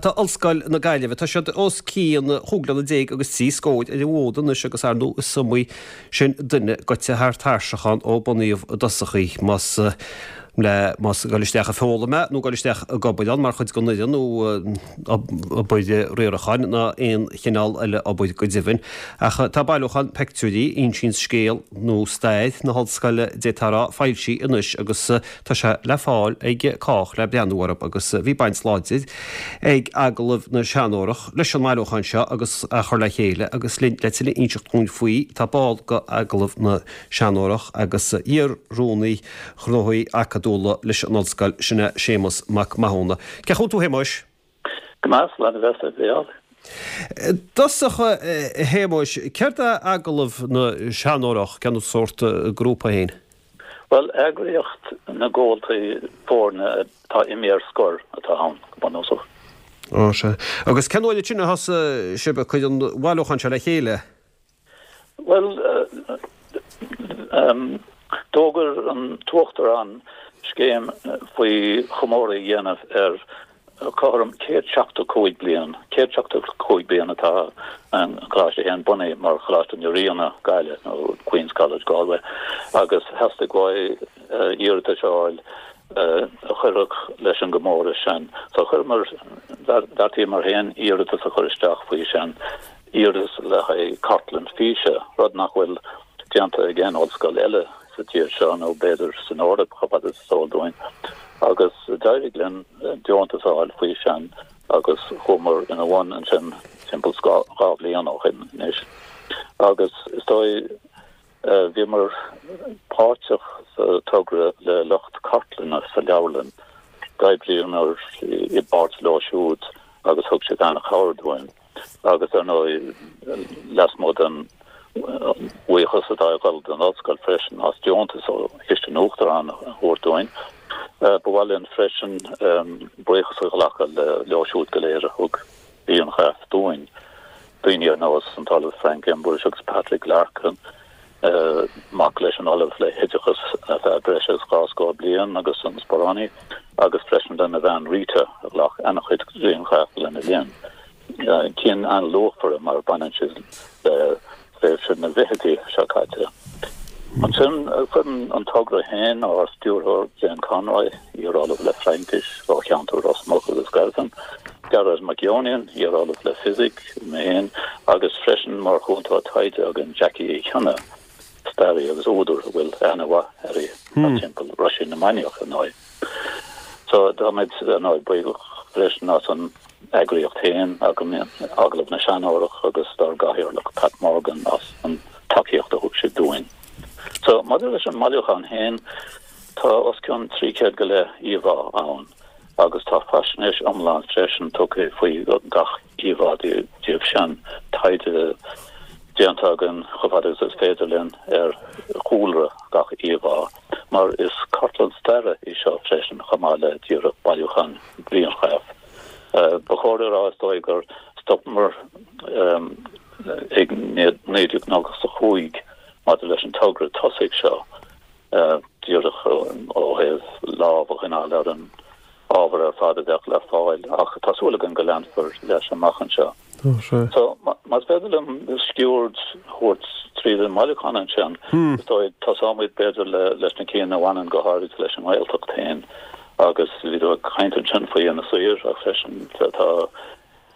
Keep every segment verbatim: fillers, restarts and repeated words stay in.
Tá Ollscoil na Gaillimhe, tá siad os cionn chúig bliana déag agus trí scór ar an bhfód anois agus ar ndóigh is iomaí sin duine gaibhte thar tairseach ann ó bunaíodh i dtosach í, más le más ag dul isteach ag foghlaim é nó ag dul isteach ag obair ann mar chuid den fhoireann nó obair riaracháin ná aon chineál eile obair go deimhin. Ach tá bailiúchán peictiúirí, a insíonns scéal nó stair na hollscoile d'fhéadfá a rá, foilsithe anois agus tá sé le fáil ag cách le breathnú orthu agus bhí baint láidir ag Agallamh na Seanórach leis an mbailiúchán seo agus a chur le chéile agus linn le tuilleadh a inseacht dúinn faoi tá ball de Agallamh na Seanórach agus iar-rúnaí gnóthaí acadúla leis an ollscoil, sin é Séamus Mac Mathúna. Cén chaoi a bhfuil tú a Shéamuis? Go maith, slán a bheas, a Mhícheáil. I dtosach, a Shéamuis, céard é Agallamh na Seanórach, cén sórt grúpa é féin? Bhuel, eagraíocht na gcomhaltaí foirne atá imithe ar scor atá ann, go bunúsach. Ó, sea. Agus cén uair sin a thosaigh sibh ag cur an bhailiúcháin seo le chéile? Bhuel, d'fhógair an tUachtarán scéim faoi chomóradh a dhéanamh ar cothrom céad seachtó cúig bliain, céad seachtó cúig bliain atá an Coláiste féin bunaithe mar Choláiste na Ríona, Gaillimh, nó Queen's College, Galway, agus theastaigh uaidh iarratais a fháil a chuirfeadh leis an gcomóradh sin. So chuireamar, bheartaíomar féin iarratas a chur isteach faoi sin, iarratas le haghaidh cartlann físe, rud nach bhfuil déanta ag aon ollscoil eile sa tír seo nó b'fhéidir san Eoraip chomh fada is is eol dúinn, agus d'éirigh linn deontas a fháil faoi sin agus chuamar ina bhun ansin timpeall dhá bhliain ó shin anois. Agus is dóigh, bhíomar páirteach sa togra le lucht cartlainne sa leabharlann, d'oibríomar i bpáirt leo siúd agus thug siad an-chabhair dúinn. Agus ar ndóigh, lasmuigh den bhuíochas atá ag dul don Ollscoil freisin as deontas ó Chiste an Uachtaráin a thabhairt dúinn, ba mhaith linn freisin buíochas a ghlacadh leo siúd go léir a thug grianghraif dúinn, daoine ar nós an tOllamh Frank Embuish agus Patrick Larkin, mac leis an Ollamh le hOideachas ar feadh breis agus dhá scór bliain agus an sparánaí, agus freisin lena bhean Rita a ghlac an-chuid grianghraf lena linn. Cinn an-luachmhara mar baineann siad le tréimhse na bhfichidí seo caite. Ansin foireann an togra féin, ár stiúrthóir Jane Conroy, iar-ollamh le Fraincis ó cheantar Ros Muc agus Gairfean, Gearóid Mac Fhionnain, iar-ollamh le Fisic, mé féin, agus freisin mar chúntóir taighde againn Jackie Uí Chionnaith, staraí agus údar a bhfuil aithne mhaith uirthi thart timpeall Roisín na Mainiach, ar ndóigh. So táimid, ar ndóigh, buíoch freisin as an eagraíocht féin, Agallamh na Seanórach agus dár gcathaoirleach Pat Morgan as an tacaíocht a thug siad dúinn. So maidir leis an mbailiúchán féin, tá os cionn trí chéad go leith íomhá ann agus tá faisnéis iomlán freisin tugtha faoi gach íomhá díobh sin, taighde déanta againn chomh fada agus is féidir linn ar chúlra gach íomhá, mar is cartlann staire í seo freisin chomh maith le díreach bailiúchán grianghraf. Ba chóir a rá is dóigh gur stopamar ag naoi déag nócha a cúig maidir leis an togra tosaigh seo, díreach ó thaobh lámh a choinneáil ar an ábhar ar fad a bheadh le fáil, ach tá súil againn go leanfar leis amach anseo. So, más féidir liom sciuird a thabhairt tríd an mbailiúchán ansin, is dóigh, tosóimid b'fhéidir leis na cinn a bhaineann go háirid leis an nGaeltacht féin agus bhí tú ag caint ansin faoi Inis Oírr ach freisin tá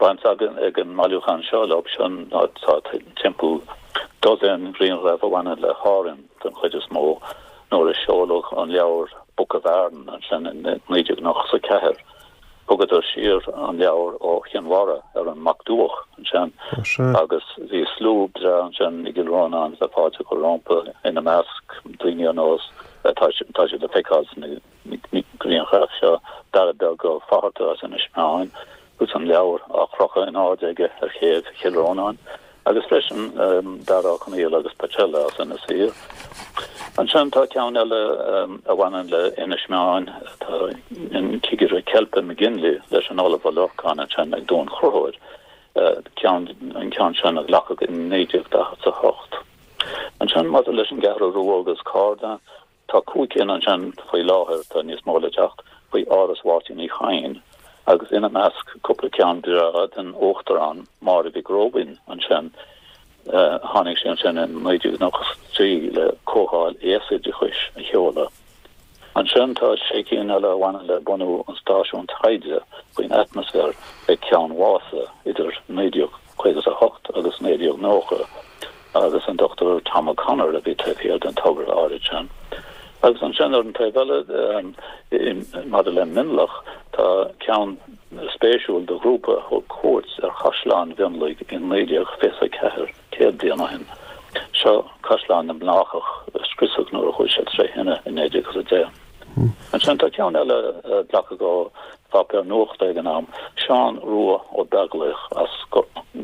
baint againn ag an mbailiúchán seo leo sin, tá timpeall dosaen grianghraf a bhaineann le hÁrainn den chuid is mó nuair a seoladh an leabhar Book of Aran ansin in naoi déag nócha a ceathair. Thugadar siar an leabhar ó Chinn Mhara ar an Mac Duach ansin agus bhí slua breá ansin i gCill Rónáin le fáilte a chur rompu, ina measc daoine ar nós, tá siad le feiceáil sna grianghraif seo, Dara Beag Ó Fatharta as Inis Meáin agus an leabhar á chrochadh in airde aige ar chéibh Chill Rónáin, agus freisin Dara Ó Conaola agus Peait Eile as Inis Oírr. Ansin tá ceann eile a bhaineann le Inis Meáin, tá an Cigire Ceilpe McGinley leis an Ollamh Ó Lorcáin ansin ag Dún Chonchúir, ceann, an ceann sin a glacadh in naoi déag daichead a hocht. Ansin maidir leis an gCeathrú Rua agus Carna, Tá cúig cinn ansin faoi láthair, tá níos mó le teacht, faoi Áras Mháirtín Uí Chadhain Agus ina measc cúpla ceann breá den Uachtarán Máire Mhic Róibín ansin. Tháinig sí ansin in naoi déag nócha a trí le Comhdháil Aosoideachais a sheoladh. Ansin tá sé cinn eile a bhaineann le bunú an stáisiúin taighde faoin atmaisféar ag Ceann Mhása idir naoi déag caoga a hocht agus naoi déag nócha agus an Dochtúir Tom O'Connor a bhí taobh thiar den togra áirid sin. Agus ansin ar an taobh eile, maidir le Mionlach, tá ceann spéisiúil de ghrúpa a thug cuairt ar Chaisleán Mhionlaigh in naoi déag fiche a ceathair, céad bliain ó shin. Seo Caisleán na mBlácach a scriosadh nuair a chuaigh sé tré thine in naoi déag a deich. Ansin tá ceann eile a glacadh ó pháipéar nuachta ag an am, Seán Rua Ó Beaglaoich as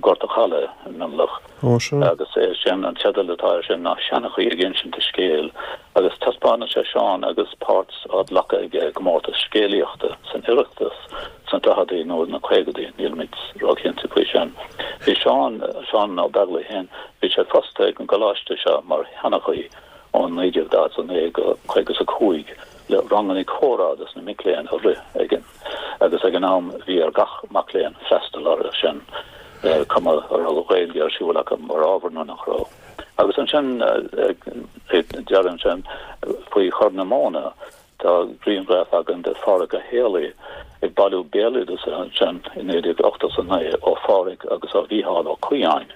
Gort a' Chalaidh i Mionlach. Agus é sin, an teideal atá air sin ná Seanchaí ag insint a scéil agus taispeánann sé Seán agus páirt á glacadh aige i gcomórtas scéalaíochta san Oireachtas sna daicheadaí nó na caogaidí, nílimid róchinnte faoi sin. Bhí Seán, Seán Ó Beaglaoich féin, bhí sé fostaithe ag an gcoláiste seo mar sheanchaí ó naoi déag daichead a naoi go caoga a cúig le ranganna comhrá dos na mic léinn a rith ag agus ag an am bhí ar gach mac léinn freastal orthu sin, cuma a raibh an Ghaeilge ar siúl acu mar ábhar nó nach raibh. Agus ansin ag deireadh ansin faoi Chorr na Móna tá grianghraf againn de Phádhraic Ó Héalaí ag bailiú béaloideasa ansin i naoi déag ochtó a naoi ó Phádhraic agus ó Mhícheál Ó Caodháin.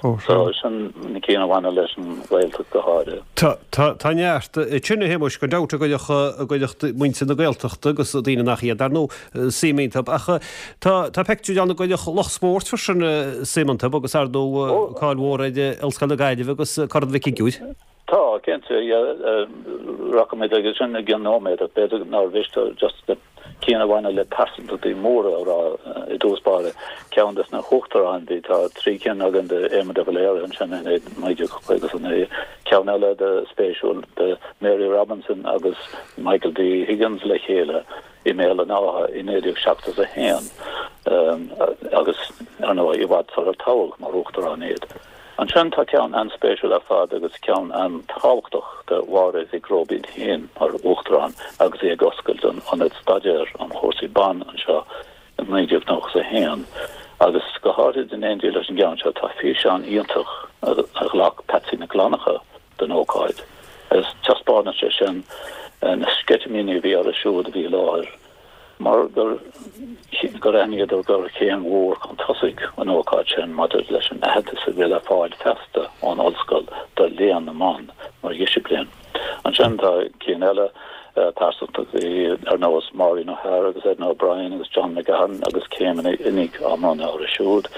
So sin na cinn a bhaineann leis an Ghaeltacht go háirithe. Tá, tá, tá neart ansin a Shéamuis, gan dabht a gcuirfeadh, a gcuirfeadh muintir na Gaeltachta agus daoine nach iad, dar ndóigh, suim iontu. Ach tá, tá pictiúr ann a gcuirfeadh lucht spóirt freisin suim iontu agus ar ndóigh cáil mhór ar Ollscoil na Gaillimhe agus Corn Mhic Shigiúir. Tá, cinnte, yeah, rachaimid aige sin i gcionn nóiméad ach b'fhéidir nár mhiste just na cinn a bhaineann le pearsantachtaí móra a rá i dtús báire. Ceann des na huachtaráin, bhí, tá trí cinn againn de Éamon de Valera ansin in naoi déag caoga a naoi, ceann eile de spéisiúil de Mary Robinson agus Michael D. Higgins le chéile i mBéal an Átha i naoi déag seachtó a haon agus, ar ndóigh, i bhfad sular toghadh mar uachtarán iad. Ansin tá ceann an-spéisiúil ar fad agus ceann an-tábhachtach de Mháire Mhic Róibín féin mar Uachtarán agus í ag oscailt an Ionad Staidéir um Chúrsaí Ban anseo in naoi déag nócha a haon. Agus go háirid in éindí leis an gceann seo tá físeán iontach a ghlac Patsy Nic Fhlannchadha den ócáid agus taispeánann sé sin na sceitimíní a bhí orthu siúd a bhí i láthair. mar gur gur aithníodar gur chéim mhór chun tosaigh an ócáid sin maidir leis an aitheantas a bhí le fáil feasta ón ollscoil do léann na mban mar dhisciplín. Ansin tá cinn eile, pearsantachtaí ar nós Maureen O'Hara agus Edna O'Brien agus John McGahern agus céimeanna oinigh á mbronnadh orthu siúd,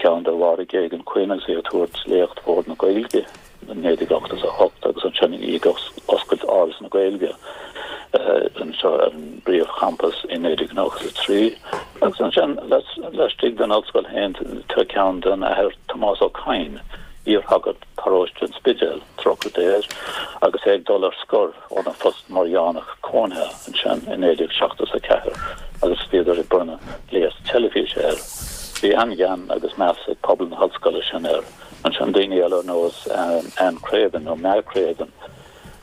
ceann de Mháire Geoghegan-Quinn agus í ag tabhairt léacht Bhord na Gaeilge. naoi déag ochtó a hocht agus ansin í ag oscailt Áras na Gaeilge anseo ar an bpríomhchampas i naoi déag nócha a trí agus ansin laistigh den ollscoil féin tá ceann den Athair Tomás Ó Cadhain, iarshagart paróiste an Spidéil, trócaire Dé air, agus é ag dul ar scor óna phost mar dheonach cónaithe ansin i naoi déag seachtó a ceathair agus bhíodar ag bronnadh gléas teilifíse air. Bhí an-ghean agus meas ag pobal na hollscoile sin air. Ansin daoine eile ar nós Anne Craven nó Ma Craven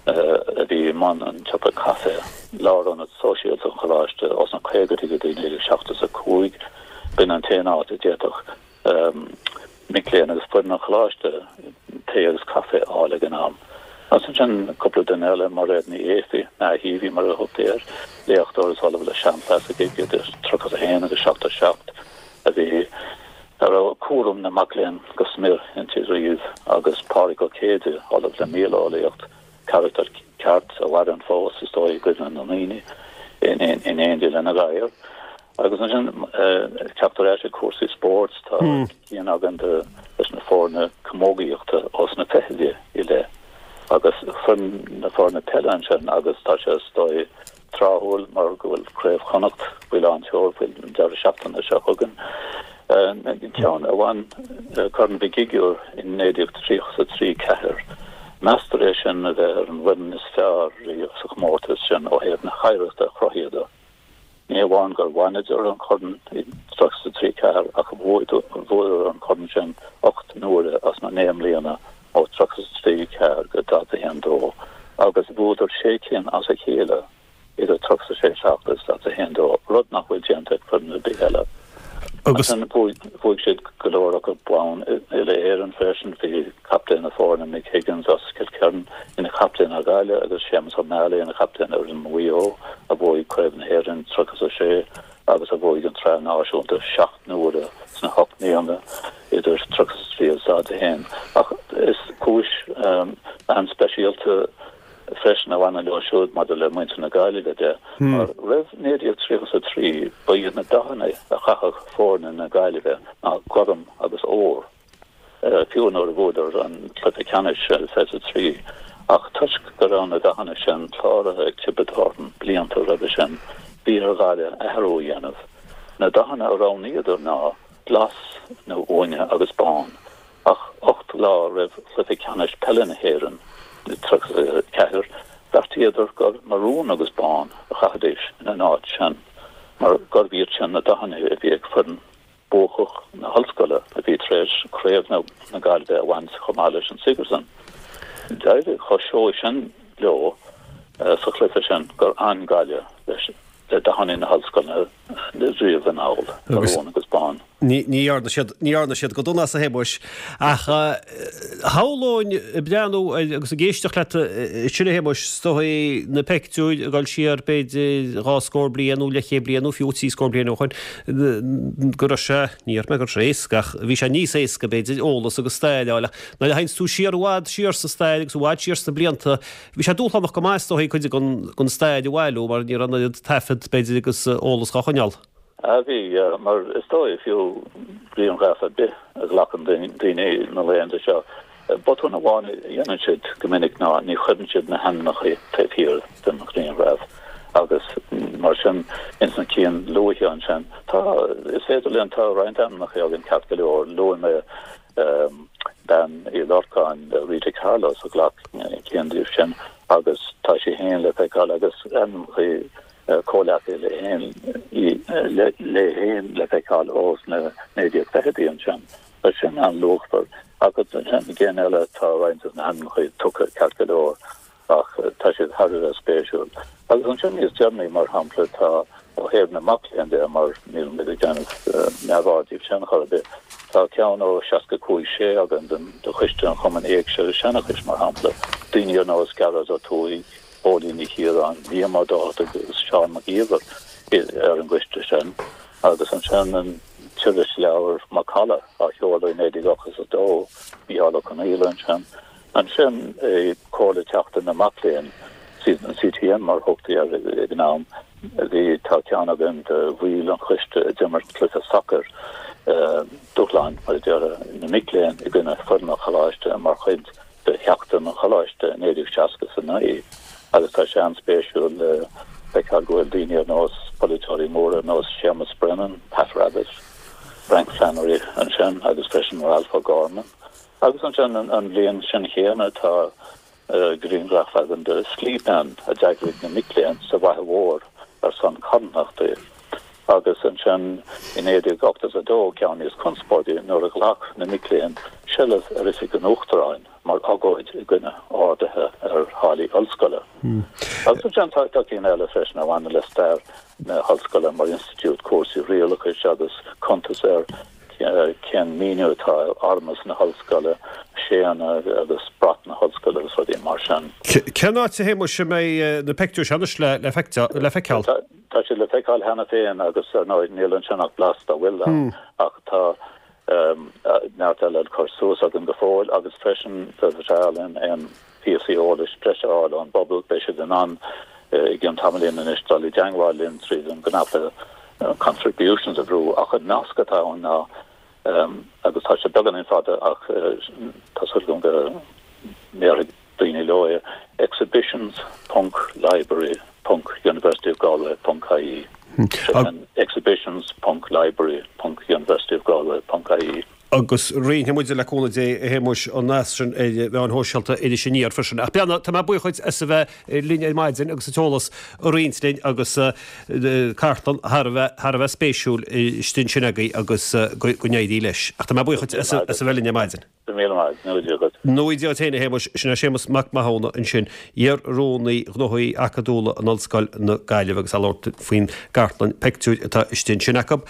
a bhí i mbun an tsiopa caife, lárionad sóisialta an choláiste ós na caogaidí go dtí naoi déag seachtó a cúig. B'in an t-aon áit a d'fhéadfadh mic léinn agus foireann an choláiste tae agus caife a fháil ag an am. Agus ansin cúpla duine eile, Mairéad Ní Éifí, Ma Heavey mar a thugtaí air, léachtóir is ollamh le seanchlasaicí idir tríocha a haon agus seachtó a seacht a bhí a raibh cúram na mac léinn go smior inti riamh, agus Pádraig Ó Céide, Ollamh le Míoleolaíocht, carachtar ceart a mhaireann fós, is dóigh, i gcuimhne na ndaoine, in éindí lena ghadhar. Agus ansin, ag teacht ar ais ag cúrsaí spóirt, tá ceann againn de leis na foirne camógaíochta ós na fichidí i leith, agus foireann na foirne peile ansin, agus tá sé, is dóigh, tráthúil mar go bhfuil Craobh Chonnacht faoi lán tseoil faoin deireadh seachtaine seo chugainn. Ceann a bhain Corn Mhic Shigiúir in naoi déag tríocha a trí ceathair. Meastar é sin a bheith ar an bhfoireann is fearr riamh sa chomórtas sin ó thaobh na hoidhreachta a chruthaíodar. Ní hamháin gur bhaineadar an corn i dtríocha a trí ceathair ach bhuadar an corn sin ocht n-uaire as na naoi mbliana ó tríocha a trí ceathair go daichead a haon dó agus bhuadar sé cinn as a chéile idir tríocha a sé seacht agus daichead a haon dó, rud nach bhfuil déanta ag foireann Agus bhuaigh siad go leor acu bonn uile-Éireann freisin, bhí captaen na foirne Mick Higgins as Cill Chiaráin ina chaptaen ar Ghaillimh agus Séamus Ó Meallaigh ina chaptaen ar fhoireann Mhaigh Eo a bhuaigh Craobh na hÉireann tríocha is a sé agus a bhuaigh an tSraith Náisiúnta seacht n-uaire sna hocht mbliana idir tríocha is a trí agus daichead a haon. Ach is cúis an-speisialta freisin a bhaineann leo siúd maidir le muintir na Gaillimhe de, mar roimh naoi déag tríocha is a trí ba iad na dathanna a chaitheadh foirne na Gaillimhe ná gorm agus ór, fiú nuair a bhuadar an cluiche ceannais i fiche a trí. Ach toisc go raibh na dathanna sin cláraithe ag Tiobraid Árann blianta roimhe sin, bhí ar Ghaillimh athrú a dhéanamh. Na dathanna a roghnaíodar ná glas nó uaine agus bán. Ach ocht lá roimh chluiche ceannais peile na hÉireann i tríocha a ceathair, bheartaíodar gur marún agus bán a chaithfidís ina n-áit sin, mar gurbh iad sin na dathanna a bhí ag foireann buacach na hollscoile a bhí tar éis craobh na Gaillimhe a bhaint chomh maith leis an Sigerson. D'éirigh chomh seoigh sin leo sa chluiche sin gur fhan Gaillimh leis le dathanna na hollscoile riamh anall, marún agus bán. Ní dhearna siad, ní dhearna siad go dona as, a Shéamuis. Ach shamhlóinn ag breathnú agus ag éisteacht leat ansin, a Shéamuis, is dóigh na peictiúir ag dul siar b'fhéidir dhá scór bliain nó leathchéad bliain nó fiú trí scór bliain ó shoin, go raibh sé, ní déarfaidh mé go raibh sé éasca ach bhí sé níos éasca b'fhéidir eolas agus stair a fháil ach nuair a théanns tú siar i bhfad siar sa stair agus i bhfad siar sna blianta, Bhí sé dúshlánach go maith is dóigh cuid den stair a bhailiú mar ní raibh an oiread taifead b'fhéidir agus eolas dhá choinneáil. Ah bhí, mar is dóigh fiú grianghraf ar bith a ghlacann daoine na laethanta seo, botún amháin a dhéanann siad go minic ná ní chuireann siad na hainmneacha taobh thiar den ghrianghraf agus mar sin ins na cinn luaithe ansin tá, is féidir linn, tá roinnt ainmneacha againn ceart go leor, luaigh mé Bean Uí Lorcáin, Rita Carlos, a ghlac ceann díobh sin agus tá sí féin le feiceáil agus ainmneacha comhleacaithe léi féin le feiceáil ós na naoi déag fichidí ansin. Tá sin an-luachmhar. Agus ansin i gcinn eile tá roinnt de na hainmneacha tugtha ceart go leor. ach tá siad thar a bheith spéisiúil. Agus ansin níos deireanaí, mar shampla, tá, ó thaobh na mac léinn de, mar níl muid ag déanamh neamhaird díobh sin chor ar bith, tá ceann ó seasca cúig sé againn den de Choiste an Chumainn Éigse agus Seanchais, mar shampla, daoine ar nós Gearóid Ó Tuathaigh, Póilín Ní Chiaráin, Liam Ó Dochartaigh agus Seán Mac Íomhair ar an gcoiste sin. Agus ansin an t-irisleabhar Macalla á sheoladh i naoi déag ochtó is a dó, Mícheál Ó Conghaile ansin. Ansin i Comhairle Sheachtain na Mac Léinn, C T M mar a thugtaí air ag an am, bhí, tá ceann againn de bhaill an choiste a d'imir cluiche sacair, dúshlán, mar a déarfá, na mic léinn i gcoinne foireann an choláiste mar chuid de Sheachtain an Choláiste i naoi déag seasca is a naoi agus tá sé an-spéisiúil le feiceáil go bhfuil daoine ar nós polaiteoirí móra ar nós Séamus Brennan, Pat Rabbitte, Frank Flannery ansin agus freisin Ralph O'Gorman. Agus ansin an bhliain sin chéanna tá grianghraf againn de Sclí Meán a d'eagraigh na mic léinn sa bhFaiche Mhór ar son carthanachta. Agus ansin i naoi déag ochtó is a dó, ceann níos conspóidí, nuair a ghlac na mic léinn seilbh ar oifig an Uachtaráin mar agóid i gcoinne arduithe ar tháillí ollscoile. Agus ansin tá cinn eile freisin a bhaineann le stair na hollscoile mar institiúid, cúrsaí rialachais agus cuntas ar cén míniú atá ar armas na hollscoile, séanna agus brat na hollscoile agus rudaí mar sin. Cén áit, a Shéamuis, a mbeidh na peictiúir seo anois le feiceáil? Tá siad le feiceáil cheana féin agus, ar ndóigh, níl ansin ach blas dá bhfuil ann ach tá neart eile le cur suas againn go fóill agus freisin ba bhreá linn aon phíosaí eolais breise a fháil ón bpobal. Beidh siad in ann i gcionn tamaillín anois dul i dteangmháil linn tríd an gcnaipe Contributions a bhrú ach an nasc atá ann ná, agus tá sé beagáinín fada ach tá súil agam go ndéarfaidh daoine leo é, exhibitions ponc library ponc university of Galway ponc ie. Sin exhibitions ponc library ponc university of Galway ponc ie. Agus roinnfidh muid, le cúnamh Dé, a Shéamuis, an nasc sin ar mheáin shóisialta Iris Aniar freisin. Ach Breandán, tá mé buíoch dhuit as a bheith linn ar maidin agus an t-eolas a roinnt linn agus cartlann thar a bheith, thar a bheith spéisiúil istigh ansin agaibh agus go n-éirí leis. Ach tá mé buíoch dhuit as a bheith linn ar maidin. Go raibh míle maith agat. Go ngnóthaí Dia dhuit. Go ngnóthaí Dia dhuit féin, a Shéamuis. Sin é Séamus Mac Mathúna ansin, iar-Rúnaí Gnóthaí Acadúla in Ollscoil na Gaillimhe agus ag labhairt faoin gcartlann peictiúir atá istigh ansin acu.